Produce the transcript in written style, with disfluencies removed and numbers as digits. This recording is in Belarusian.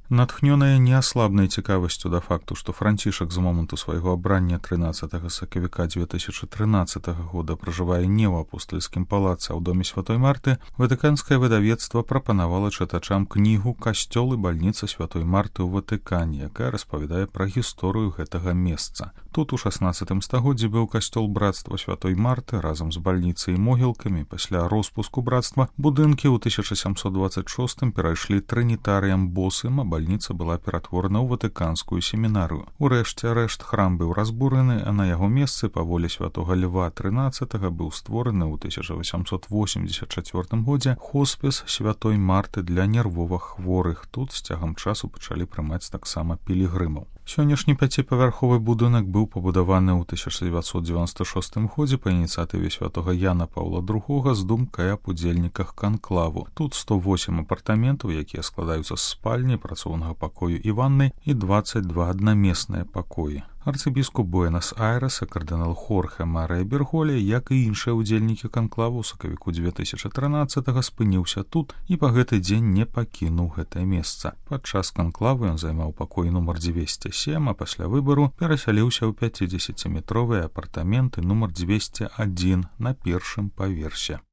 Натхнёная неаслабнай цікавасцю да факту, што Францішак з моманту свайго абрання 13 сакавіка 2013 года пражывае не ў апостальскім палацы, а ў доме святой Марты, ватыканскае выдавецтва прапанавала чытачам кнігу «Касцёл і бальніца святой Марты ў Ватыкане», якая распавядае пра гісторыю гэтага месца. Тут у 16 стагоддзі быў касцёл брацтва святой Марты разам з бальніцай і могілкамі. Пасля роспуску брацтва будынкі ў 1726 перайшлі трынітарыям босым, а бальніца была ператворана ў ватыканскую семінарыю. Урэшце рэшт храм быў разбураны, а на яго месцы па волі святога Льва XIII быў створаны ў 1884 годзе хоспіс святой Марты для нервовых хворых. Тут з цягам часу пачалі прымаць таксама пілігрымаў. Сённяшні 5павярховы будынак быў пабудаваны ў 1996 годзе па ініцыятыве святога Яна Паўла II з думкай аб удзельніках канклаву. Тут 108 апартаментаў, якія складаюцца з спальні, працоўнага пакою і ваннай, і 22 аднамесныя пакоі. Арцыбіскуп Буэнас-Айрэса кардынал Хорхе Марыя Берголе, як і іншыя ўдзельнікі канклаву ў сакавіку 2013 спыніўся тут і па гэты дзень не пакінуў гэтае месца. Падчас канклаву ён займаў пакой нумар 207, а пасля выбару перасяліўся ў 50-метровыя апартаменты нумар 201 на першым паверсе.